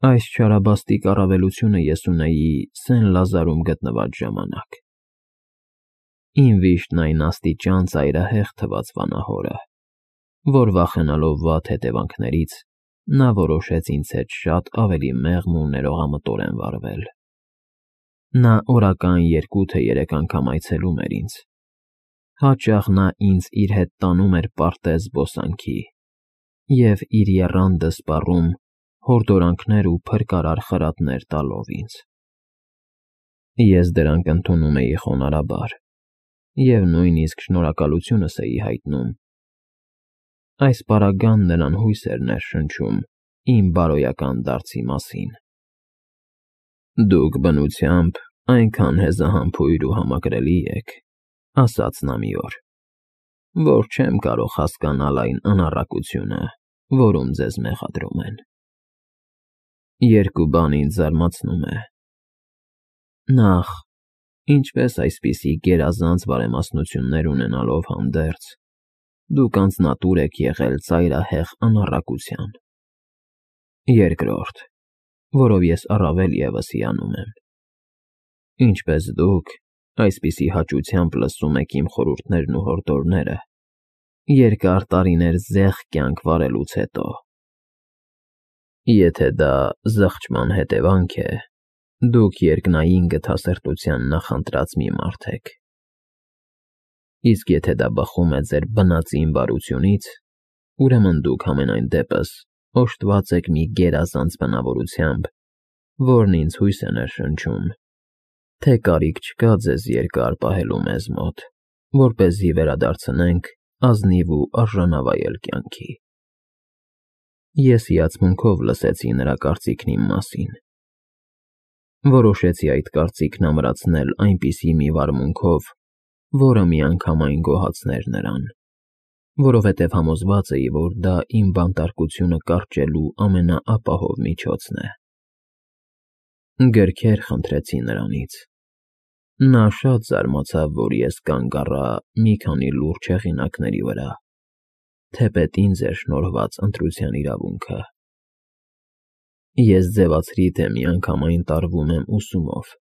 Այս չարաբաստիկ առավելությունը ես ունեի Սեն-Լազարում գտնված ժամանակ։ Իմ վիշտն այն աստիճան ծայրահեղ թվաց վանահորը, որ վախենալով վատ հետևանքներից, նա որոշեց ինձ հետ շատ ավելի մեղմ ու ներողամտորեն վարվել։ Նա օրական 2 թե 3 անգամ այցելում էր ինձ։ Հաճախ նա ինձ իր հետ տանում էր պարտեզ զբոսանքի և իր եռանդը սպառում հորդորանքներ ու փրկարար խրատներ տալով ինձ։ Ես դրանք ընդունում էի խոնարհաբար և նույնիսկ շնորհակալությունս էի հայտնում։ Այս պարագան նրան հույս էր ներշնչում իմ բարոյական դարձի մասին։ «Դուք բնությամբ այնքան հեզահամբույր ու համակրելի եք,» ասաց նա մի օր, «որ չեմ կարող հասկանալ այն անառակությունը, որում ձեզ մեղադրում են։ Երկու բան ինձ զարմացնում է. Նախ, ինչպես այսպիսի գերազանց բարեմասնություններ ունենալով հանդերձ, դուք անձնատուր եք եղել ծայրահեղ անառակության։ Երկրորդ, որով ես առավել ևս հիանում եմ, ինչպես դուք այսպիսի հաճությամբ լսում եք իմ խորհուրդներն ու հորդորները երկար տարիներ զեղ կյանք վարելուց հետո։ Եթե դա զղջման հետևանք է, դուք երկնային գթասրտության նախընտրած մի մարդ եք։ Իսկ եթե դա բխում է ձեր բնածին բարությունից, ուրեմն դուք համենայն դեպս օժտված եք մի գերազանց բնավորությամբ, որն ինձ հույս է ներշնչում, թե կարիք չկա ձեզ երկար պահելու մեզ մոտ, որպեսզի վերադարձնենք ազնիվ ու արժանավայել կյանքի։ Ես հիացմունքով լսեցի նրա կարծիքն իմ մասին։ Որոշեցի այդ կարծիքն ամրացնել այնպիսի մի վարմունքով, որը միանգամայն գոհացներ նրան, որովհետև համոզված էի, որ դա իմ բանտարկությունը կարճելու ամենաապահով միջոցն է։ Գրքեր խնդրեցի նրանից։ Նա շատ զարմացավ, որ ես կանգ առա մի քանի լուրջ հեղինակների վրա, թեպետ ինձ էր շնորհված ընտրության իրավունքը։ Ես ձևացրի, թե միանգամայն տարվում եմ ուսումով,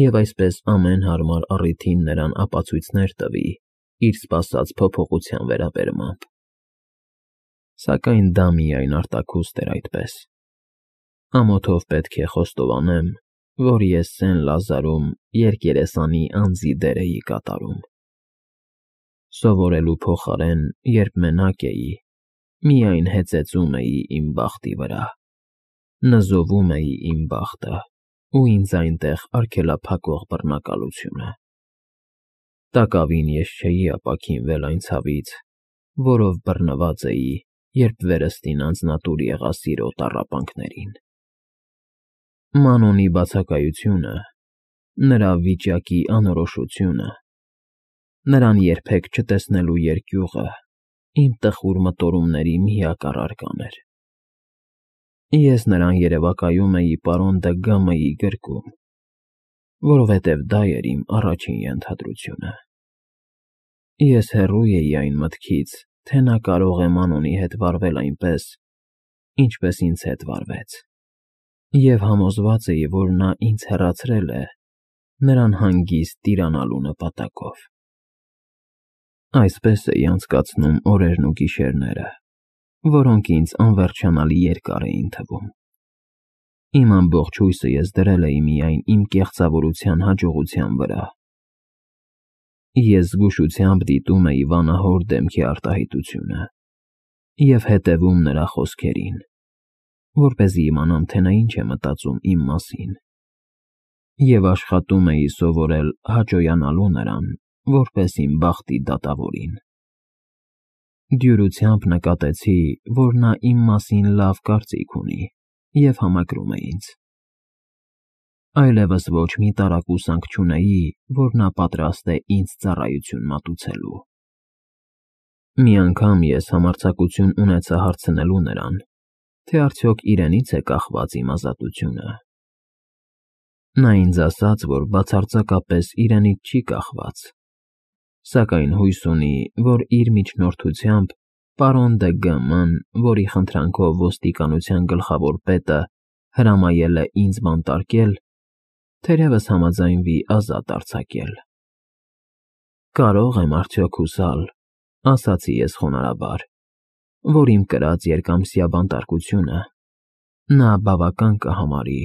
և այսպես ամեն հարմար առիթին նրան ապացույցներ տվի իր սպասած փոփոխության վերաբերմամբ։ Սակայն դա միայն արտաքուստ էր այդպես։ Ամոթով պետք է խոստովանեմ, որ ես Սեն-Լազարում երկերեսանի անձի դեր էի կատարում։ Սովորելու փոխարեն, երբ մենակ էի, միայն հեծեծում էի իմ բախտի վրա, նզովում էի իմ բախտը ու ինձ այնտեղ արգելափակող բռնակալությունը։ Տակավին ես չէի ապաքինվել այն ցավից, որով բռնված էի, երբ վերստին անձնատուր եղա սիրո տառապանքներին։ Մանոնի բացակայությունը, նրա վիճակի անորոշությունը, նրան երբեք չտեսնելու երկյուղը իմ տխուր մտորումների միակ առարկան էր։ Ես նրան երևակայում էի պարոն Դը Գամայի գրկում, որովհետև դա էր իմ առաջին ենթադրությունը։ Ես հեռու էի այն մտքից, թե նա կարող է Մանոնի հետ վարվել այնպես, ինչպես ինձ հետ վարվեց, և համոզված էի, որ նա ինձ հեռացրել է նրան հանգիստ տիրանալու նպատակով։ Այսպես էի անցկացնում օրերն ու գիշերները, որոնք ինձ անվերջանալի երկար էին թվում։ Իմ ամբողջ հույսը ես դրել էի միայն իմ կեղծավորության հաջողության վրա։ Ես զգուշությամբ դիտում էի վանահոր դեմքի արտահայտությունը և հետևում նրա խոսքերին, որպեսզի իմանամ, թե նա ինչ է մտածում իմ մասին, և աշխատում էի սովորել հաճոյանալու նրան, որպես իմ բախտի դատավորին։ Դյուրությամբ նկատեցի, որ նա իմ մասին լավ կարծիք ունի և համակրում է ինձ։ Այլևս ոչ մի տարակուսանք չունեի, որ նա պատրաստ է ինձ ծառայություն մատուցելու։ Մի անգամ ես համարձակություն ունեցա հարցնելու նրան, թե արդյոք իրենից է կախված իմ ազատությունը։ Նա ինձ ասաց, որ բացարձակապես իրենից չի կախված, սակայն հույս ունի, որ իր միջնորդությամբ պարոն Դը Գաման, որի խնդրանքով ոստիկանության գլխավոր պետը հրամայել է ինձ բանտարկել, թերևս համաձայնվի ազատ արձակել։ Կարող եմ արդյոք հուսալ, ասացի ես խոնարհաբար, որ իմ կրած երկամսյա բանտարկությունը նա բավական կհամարի,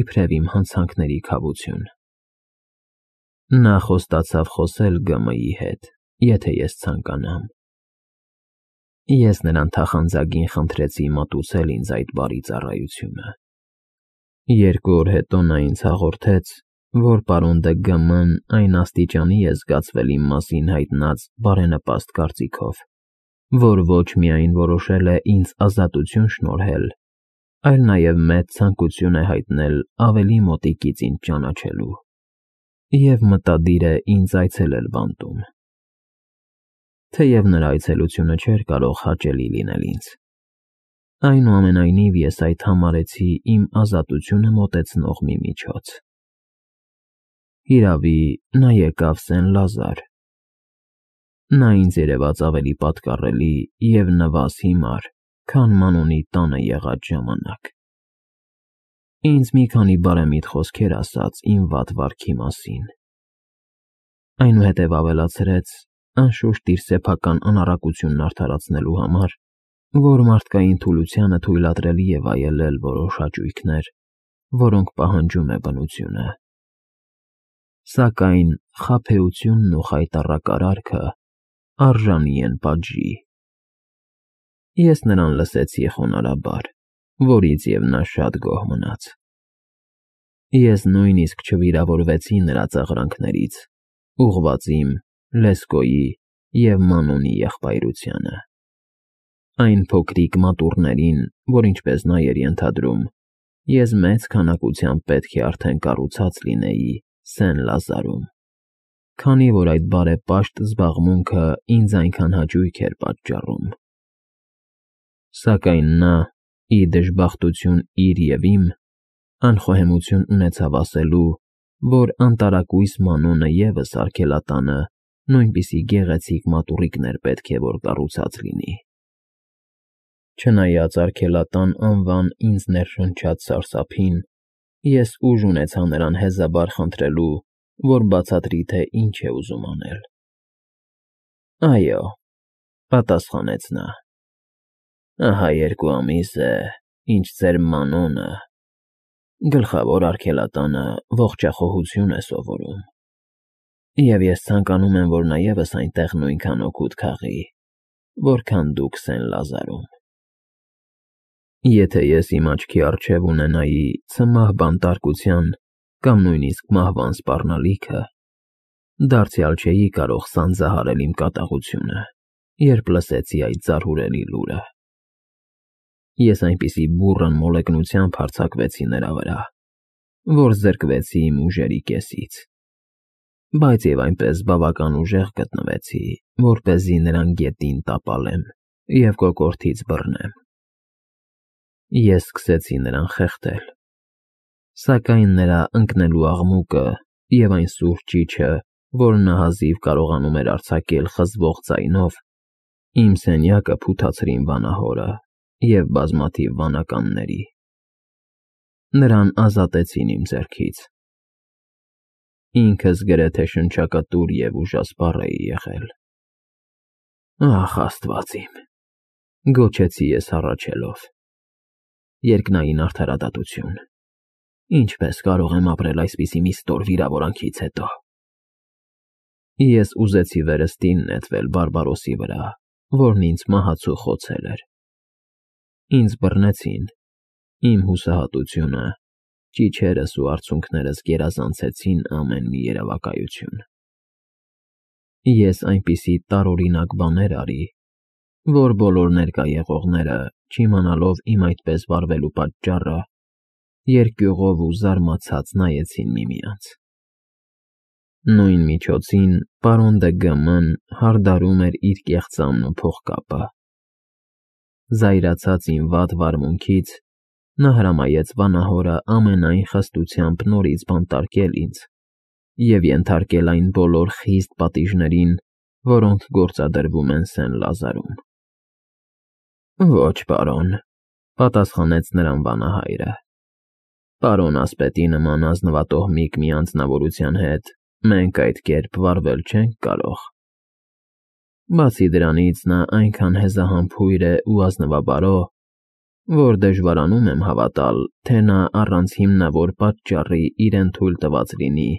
իբրև իմ հանցանքների քավություն։ Նա խոստացավ խոսել ԳՄ-ի հետ, եթե ես ցանկանամ։ Ես նրան թախանձագին խնդրեցի մատուցել ինձ այդ բարի ծառայությունը։ 2 օր հետո նա ինձ հաղորդեց, որ պարոն ԴԳՄ-ն այն աստիճանի է զգացվել իմ մասին հայտնած բարենպաստ կարծիքով, որ ոչ միայն որոշել է ինձ ազատություն շնորհել, այլ նաև մեծ ցանկություն է հայտնել ավելի մոտիկից ինձ ճանաչելու և մտադիր է ինձ այցելել բանտում։ Թեև նրա այցելությունը չէր կարող հաճելի լինել ինձ, այնուամենայնիվ ես այդ համարեցի իմ ազատությունը մոտեցնող մի միջոց։ Հիրավի, նա եկավ Սեն֊Լազար։ Նա ինձ երևաց ավելի պատկառելի և նվազ հիմար, քան Մանոնի տանը եղած ժամանակ։ Ինձ մի քանի բարեմիտ խոսքեր ասաց իմ վատ վարքի մասին, այնուհետև ավելացրեց, անշուշտ իր սեփական անառակությունն արդարացնելու համար, որ մարդկային թուլությանը թույլատրելի է վայելել որոշ հաճույքներ, որոնք պահանջում է բնությունը։ Սակայն խաբեությունն ու խայտառակ արժանի են պատժի։ Ես նրան լսեցի խոնարհաբար, որից և նա շատ գոհ մնաց։ Ես նույնիսկ չվիրավորվեցի նրա ծաղրանքներից, ուղղված իմ, Լեսկոյի և Մանոնի եղբայրությանը։ Այն փոքրիկ մատուռներին, որ ինչպես նա էր ենթադրում, ես մեծ քանակությամբ պետք է արդեն կառուցած լինեի Սեն֊Լազարում, քանի որ այդ բարեպաշտ զբաղմունքը ինձ այնքան հաճույք էր պատճառում։ Սակայն նա, ի դժբախտություն իր և իմ, անխոհեմություն ունեցավ ասելու, որ անտարակույս Մանոնը ևս արգելատանը նույնպիսի գեղեցիկ մատուռիկներ պետք է որ կառուցած լինի։ Չնայած արգելատան անվան ինձ ներշնչած սարսափին, ես ուժ ունեցա նրան հեզաբար խնդրելու, որ բացատրի, թե ինչ է ուզում անել։ Այո, պատասխանեց նա, ահա 2 ամիս է, ինչ ձեր Մանոնը, գլխավոր արգելատանը, ողջախոհություն է սովորում, և ես ցանկանում եմ, որ նա ևս այնտեղ նույնքան օգուտ քաղի, որքան դուք Սեն֊Լազարում։ Եթե ես իմ աչքի առջև ունենայի ցմահ բանտարկության կամ նույնիսկ մահվան սպառնալիքը, դարձյալ չէի կարող սանձահարել իմ կատաղությունը, երբ լսեցի այդ զարհուրելի լուրը։ Ես այնպիսի բուռն մոլեգնությամբ հարձակվեցի նրա վրա, որ զրկվեցի իմ ուժերի կեսից, բայց և այնպես բավական ուժեղ գտնվեցի, որպեսզի նրան գետին տապալեմ և կոկորդից բռնեմ։ Ես սկսեցի նրան խեղդել, սակայն նրա ընկնելու աղմուկը և այն սուր ճիչը, որ նա հազիվ կարողանում էր արձակել խզվող ձայնով, իմ սենյակը փութացրին վանահորը և բազմաթիվ վանականների։ Նրան ազատեցին իմ ձեռքից։ Ինքս գրեթե շնչակտուր և ուժասպառ էի եղել։ Ախ, Աստված իմ, գոչեցի ես հառաչելով, երկնային արդարադատություն, ինչպես կարող եմ ապրել այսպիսի մի ստոր վիրավորանքից հետո։ Ես ուզեցի վերստին նետվել Բարբարոսի վրա, որն ինձ մահացու խոցել էր։ Ինձ բռնեցին, իմ հուսահատությունը, ճիչերս ու արցունքներս գերազանցեցին ամեն մի երևակայություն։ Ես այնպիսի տարօրինակ բաներ արի, որ բոլոր ներկա եղողները, չիմանալով իմ այդպես վարվելու պատճառը, երկյուղով ու զարմացած նայեցին միմյանց։ Նույն միջոցին պարոն ԴԳՄ-ն հարդարում էր իր կեղծամն ու փողկապը։ Զայրացած իմ վատ վարմունքից, նա հրամայեց վանահորը ամենայն խստությամբ նորից բանտարկել ինձ և ենթարկել այն բոլոր խիստ պատիժներին, որոնք գործադրվում են Սեն֊Լազարում։ Ոչ, պարոն, Պատասխանեց նրան վանահայրը։ Պարոն ասպետի նման ազնվատոհմիկ մի անձնավորության հետ մենք այդ կերպ վարվել չենք կարող։ Բացի դրանից նա այնքան հեզահամբույր է ու ազնվաբարո, որ դժվարանում եմ հավատալ, թե նա առանց հիմնավոր պատճառի իրեն թույլ տված լինի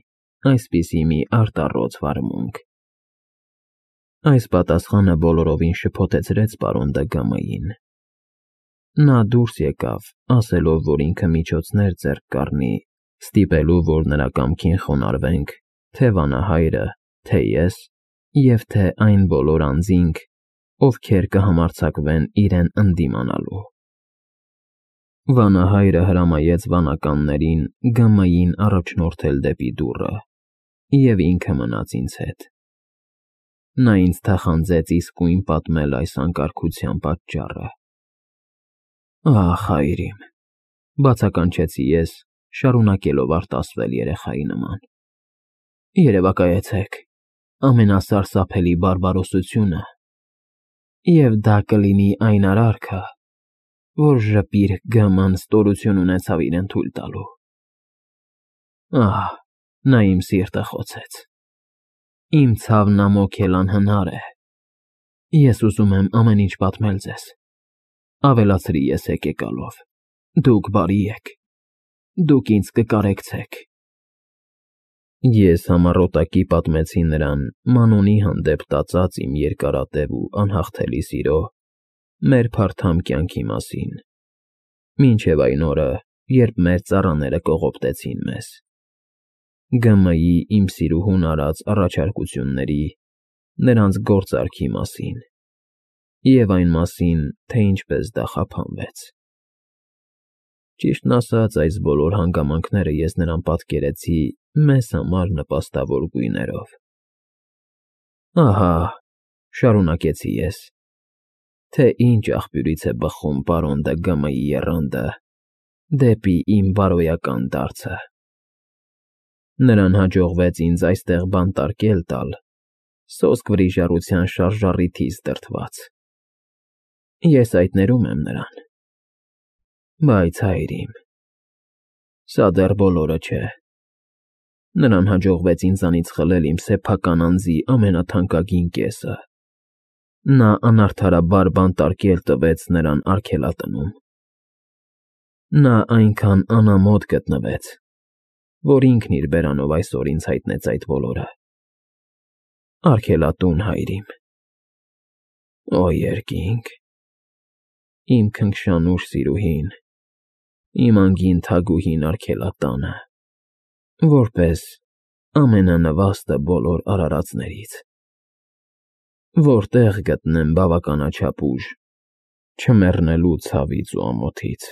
այսպիսի մի արտառոց վարմունք։ Այս պատասխանը բոլորովին շփոթեցրեց պարոն Դգամային։ Նա դուրս եկավ, ասելով, որ ինքը միջոցներ ձեռք կառնի, ստիպելու, որ նրա կամքին խոնարհվենք, թե վանահայրը, թե ես, և թե այն բոլոր անձինք, ովքեր կհամարձակվեն իրեն ընդդիմանալու։ Վանահայրը հրամայեց վանականներին Գամային առաջնորդել դեպի դուռը, և ինքը մնաց ինձ հետ։ Նա ինձ թախանձեց իսկույն պատմել այս անկարգության պատճառը։ Ահ, հայրիմ, բացականչեցի ես, շարունակելով արտասվել երեխայի նման։ Երևակայեցեք ամենասարսափելի բարբարոսությունը, և դա կլինի այն արարքը, որ ժպիր Գաման ստորություն ունեցավ իրեն թույլ տալու։ Ահ, նա իմ սիրտը խոցեց։ Իմ ցավն ամոք էլ անհնար է։ Ես ուզում եմ ամեն ինչ պատմել ձեզ։ Ավելացրի ես եկեկալով։ Դուք բարի եք։ Դուք ինձ կկարեկցեք։ Ես համառոտակի պատմեցի նրան Մանոնի հանդեպ տածած իմ երկարատև ու անհաղթելի սիրո, մեր փարթամ կյանքի մասին, մինչև այն օրը, երբ մեր ծառաները կողոպտեցին մեզ, Գամայի իմ սիրուհուն արած առաջարկությունների, նրանց գործարքի մասին, և այն մասին, թե ինչպես դա խափանվեց։ Ճիշտն ասած, այս բոլոր հանգամանքները ես նրան պատկերեցի մեզ համար նպաստավոր գույներով։ Ահա, շարունակեցի ես, թե ինչ աղբյուրից է բխում պարոն Դգամայի եռանդը դեպի իմ բարոյական դարձը։ Նրան հաջողվեց ինձ այստեղ բանտարկել տալ, սոսկ վրիժառության շարժառիթից դրդված։ Ես այդ ներում եմ նրան։ Բայց, հայրիմ, սա դեռ բոլորը չէ։ Նրան հաջողվեց ինձանից խլել իմ սեփական անձի ամենաթանկագին կեսը։ Նա անարդարաբար բանտարկել տվեց նրան արգելատնում։ Նա այնքան անամոթ գտնվեց, որ ինքն իր բերանով այսօր ինձ հայտնեց այդ բոլորը։ Արգելատուն, հայրիմ։ Օ, երկինք, իմ քնքշանուշ սիրուհին, իմ անգին թագուհին արգելատանը, որպես ամենանվաստը բոլոր արարածներից։ Որտեղ գտնեմ բավականաչափ ուժ չմեռնելու ցավից ու ամոթից։